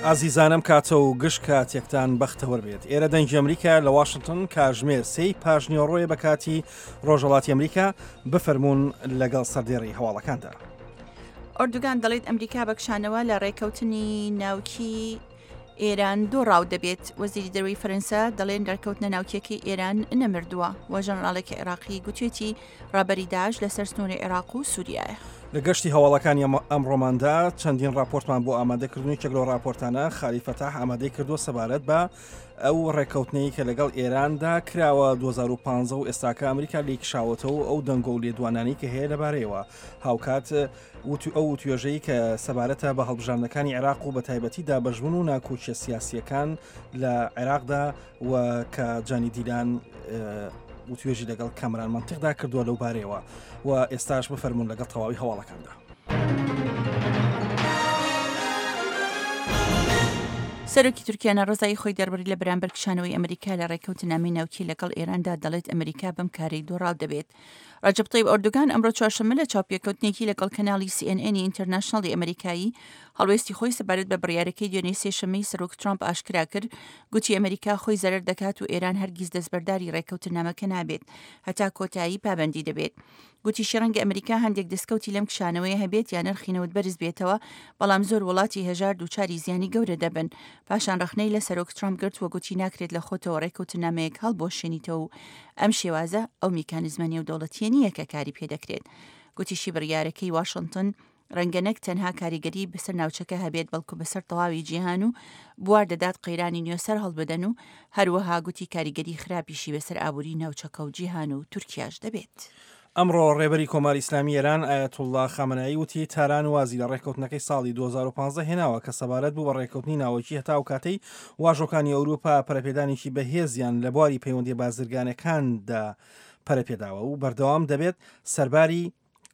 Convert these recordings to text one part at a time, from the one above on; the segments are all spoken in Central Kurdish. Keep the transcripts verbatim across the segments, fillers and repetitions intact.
ئازیزانم کاتە و گشت کاتێکتان بەختەوەر بێت. ئێرە دەنگی ئەمریکا لە واشنگتن کاژمێر سێی پاژنیۆڕۆیە بە کاتی ڕۆژهەڵاتی ئەمریکا، بفەرمونون لەگەڵ سەردێڕی هەواڵەکاندا. ئۆردوگان دەڵێت ئەمریکا بەکشانەوە لە ڕێکەوتنی ناوکی ئێران دۆڕاو دەبێت. وەزیری دەرەوەی فەرەنسا دەڵێن ڕێکەوتنە ناوکیەکەی ئێران نەمردووە و ژەنەراڵێکی عێراقی گوتوێتی ڕابەری داعش لەسەر سنووری عێراق و سووریایە. لە گەشتی هەواڵەکانی ئەمڕۆماندا چەندین راپۆرتمان بۆ ئامادەکردن، یەکێک لەو راپۆرتانە خالی فەتاح ئامادەی کردووە سەبارەت بە ئەو ڕێککەوتنەی کە لەگەڵ ئێراندا کراوە دوو هەزار و پازدە و ئێستاکە ئەمریکا لێکشاوەتەوە ئەو دەنگۆ و لێدوانانەی کە هەیە لەبارەیەوە. هاوکات ئەو وتوێژەی کە سەبارەتە بە هەڵبژاردنەکانی عێراق و بە تایبەتی دابەشبوون و ناکۆکیە سیاسیەکان لە عێراقدا و کە جانی دیلان وتوێژی لەگەڵ کامران منطقدا کردووە لەو بارەیەوە و ئێستاش بفەرمونون لەگەڵ تەواوی هەواڵەکاندا. سەرۆکی تورکیا ناڕەزایی خۆی دەربڕی لە بەرامبەر کشانەوەی ئەمریکا لە ڕێککەوتنامەی ناوکی لەگەڵ ئێراندا، دەڵێت ئەمریکا بەم کارەی دۆڕاو دەبێت. ڕەجەب تەیب ئۆردوگان ئەمڕۆ چوارشەممە لە چاوپێکەوتنێکی لەگەڵ کەناڵی سی ئێن ئێنی ئینتەرناشناڵی ئەمریکایی هەڵوێستی خۆی سەبارەت بە بڕیارەکەی دوێنێ سێشەممەی سەرۆک ترامپ ئاشکرا کرد. گوتی ئەمریکا خۆی زەرەر دەکات و ئێران هەرگیز دەستبەرداری ڕێککەوتنامەکە نابێت هەتا کۆتایی پابەندی دەبێت. گوتیشی ڕەنگە ئەمریکا هەندێک دەستکەوتی لەم کشانەوەی هەبێت یان نرخی نەوت بەرز بێتەوە، بەڵام زۆر وڵاتی هەژار دووچاری زیانی گەورە دەبن. پاشان ڕەخنەی لە سەرۆک ترامپ گرت و گوتی ناکرێت لە خۆتەوە ڕێککەوتنامەیەک هەڵبوەشێنیتەوە و ئەم شێوازە ئەو میکانیزمە نێودەوڵەتیە نییە کە کاری پێدەکرێت. گوتیشی بڕیارەکەی واشنگتن ڕەنگە نەک تەنها کاریگەری بەسەر ناوچەکە هەبێت، بەڵکو بەسەر تەواوی جیهان و بوار دەدات قەیرانی نوێ سەر هەڵبدەن و هەروەها گوتی کاریگەری خراپیشی بەسەر ئابووری ناوچەکە و جیهان و تورکیاش دەبێت. ئەمڕۆ ڕێبەری کۆماری ئیسلامی ئێران ئایەتوڵڵا خامنەیی وتی تاران وازی لە ڕێککەوتنەکەی ساڵی دوو هەزار و پازدە هێناوە کە سەبارەت بوو بە ڕێککەوتنی ناوەکی هەتا ئەو کاتەی واژۆکانی ئەوروپا پەرەپێدانێکی بەهێزیان لە بواری پەیوەندیە بازرگانەکاندا پەرەپێداوە و بەردەوام دەبێت سەرباری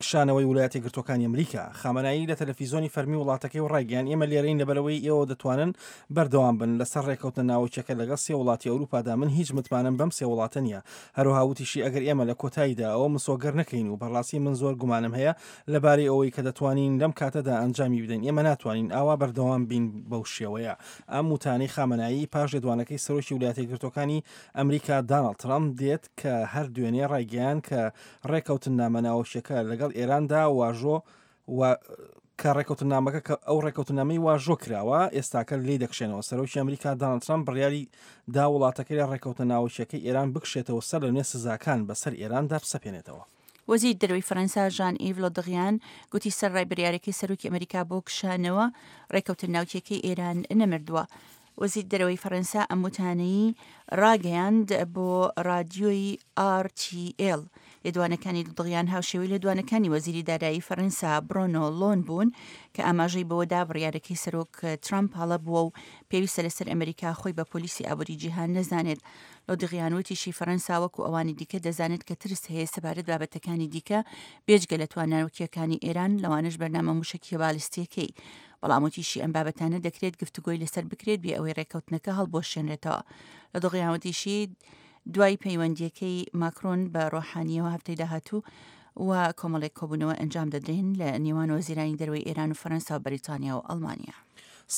کشانەوەی وڵاتی گرتوەکانی ئەمریکا. خامنەیی لە تەلەفیزیۆنی فەرمی وڵاتەکەی و ڕایگەیان ئێمە لێرەین لەبەرەوەی ئێوە دەتوانن بەردەوام بن لەسەر ڕێککەوتنە ناوەکیەکە لەگەڵ سێ وڵاتی ئەوروپادا، من هیچ متمانەم بەم سێ وڵاتە نییە. هەروەها وتیشی ئەگەر ئێمە لە کۆتاییدا ئەوە مسۆگەر نەکەین و بەڕاستی من زۆر گومانم هەیە لەبارەی ئەوەی کە دەتوانین لەم کاتەدا ئەنجامی بدەین، ئێمە ناتوانین ئاوا بەردەوام بین بەو شێوەیە. ئەم وتانەی خامنەیی پاش لێدوانەکەی سەرۆکی وڵاتی گرتوەکانی ئەمریکا داناڵد ترامپ دێت کە هەر دوێنێ ڕایگەیان کە ڕێککەوتنامە ناوەکیەکە لەگەڵ ئێراندا واژۆ و کە ڕێککەوتنامەکە کە ئەو ڕێککەوتنامەی واژۆ کراوە ئێستاکە لێی دەکشێنەوە. سەرۆکی ئەمریکا داناڵد ترامپ بڕیاری دا وڵاتەکەی لە ڕێککەوتنە ناوەکیەکەی ئێران بکشێتەوە سەر لە نوێ سزاکان بەسەر ئێراندا بسەپێنێتەوە. وەزیر دەرەوەی فەرەنسا ژان ئیڤ لۆدغیان گوتی سەر ڕای بڕیارەکەی سەرۆکی ئەمریکا بۆ کشانەوە ڕێککەوتن ناوکیەکەی ئێران نەمردووە. وەزیر دەرەوەی فەرەنسا ئەم وتانەی ڕاگەیاند بۆ رادیۆی ئار تی ئێل. لێدوانەکانی لۆدغیان هاوشێوەی لێدوانەکانی وەزیری دارایی فەرەنسا برۆنۆ لۆن بوون کە ئاماژەی بەوەدا بڕیارەکەی سەرۆک ترامپ هەڵە بووە و پێویستە لەسەر ئەمریکا خۆی بە پۆلیسی ئابووری جیهان نەزانێت. لۆدغیان وتیشی فەرەنسا وەکو ئەوانی دیکە دەزانێت کە ترس هەیە سەبارەت بابەتەکانی دیکە بێجگە لە تواناوکیەکانی ئێران، لەوانەش بەرنامە موشەکیە بالستیەکەی. بەڵام وتیشی ئەم بابەتانە دەکرێت گفتوگۆی لەسەر بکرێت بێ ئەوەی ڕێککەوتنەکە هەڵبوەشێنرێتەوە. لۆدغیان وتیشی دوای پەیوەندیەکەی ماکرۆن بە ڕۆحانیەوە هەفتەی داهاتوو و کۆمەڵێک کۆبوونەوە ئەنجام دەدرێن لە نێوان وەزیرانی دەرەوەی ئێران و فەرەنسا و بەریتانیا و ئەڵمانیا.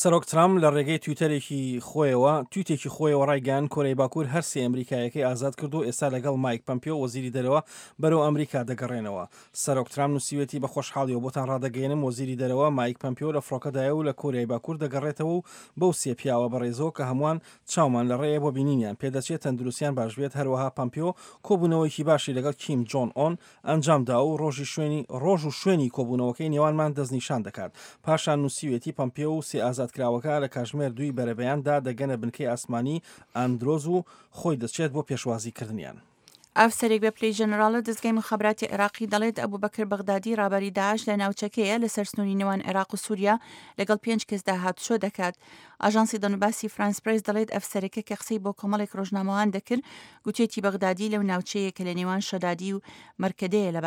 سەرۆک ترامپ لە ڕێگەی تویتەرێکی خۆیەوە تویتێکی خۆیەوە ڕایگەیاند کۆریای باکوور هەر سێ ئەمریکایەکەی ئازاد کرد و ئێستا لەگەڵ مایک پەمپیۆ وەزیری دەرەوە بەرەو ئەمریکا دەگەڕێنەوە. سەرۆک ترامپ نووسیوێتی بە خۆشحاڵیەوە بۆتان ڕادەگەیەنم وەزیری دەرەوە مایک پەمپیۆ لە فڕۆکەدایە و لە کۆریای باکوور دەگەڕێتەوە و بەو سێ پیاوە بەڕێزەوە کە هەمووان چاومان لە ڕێیە بۆ بینینیان پێدەچێت تەندروستیان باش بێت. هەروەها پەمپیۆ کۆبوونەوەیکی باشی لەگەڵ کیم جۆن ئۆن ئەنجامدا و ڕۆژی شوێنی ڕۆژ و شوێنی کۆبوونەوەکەی نێوانمان دەستنیشان دەکات. پاشان نووسیوێتی پەمپیۆ و سێ ئازادکراوەکە لە کاژمێر دووی بەرەبەیاندا دەگەنە بنکەی ئاسمانی ئەندرۆز و خۆی دەچێت بۆ پێشوازیکردنیان. ئەفسەرێک بە پلەی ژەنەراڵ لە دەزگای مخابراتی عێراقی دەڵێت ئەبوو بەکر بەغدادی ڕابەری داعش لە ناوچەکەیە لەسەر سنووری نێوان عێراق و سووریا لەگەڵ پێنج کەسدا هاتوچۆ دەکات. ئاژانسی دەنوباسی فرانس پرێس دەڵێت ئەفسەرەکە کە قسەی بۆ کۆمەڵێک ڕۆژنامەوان دەکرد گوتێتی بەغدادی لەو ناوچەیە کە لە نێوان شەدادی و مەرکەدەیە لە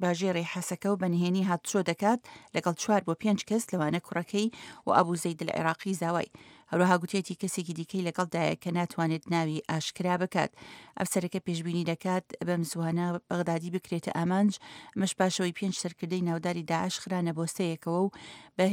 باژێڕی حەسەکە و بەنهێنی هاتوچۆ دەکات لەگەڵ چوار بۆ پێنج کەس لەوانە کوڕەکەی و ئەبوو زەید العێراقی زاوای. هەروەها گوتێتی کەسێکی دیکەی لەگەڵدایە کە ناتوانێت ناوی ئاشکرا بکات. ئەفسەرەکە پێشبینی دەکات بەم زووانە بەغدادی بکرێتە ئامانج، ئەمەش پاشەوەی پێنج سەرکردەی ناوداری داعش خرانە بۆسەیەکەوە و بە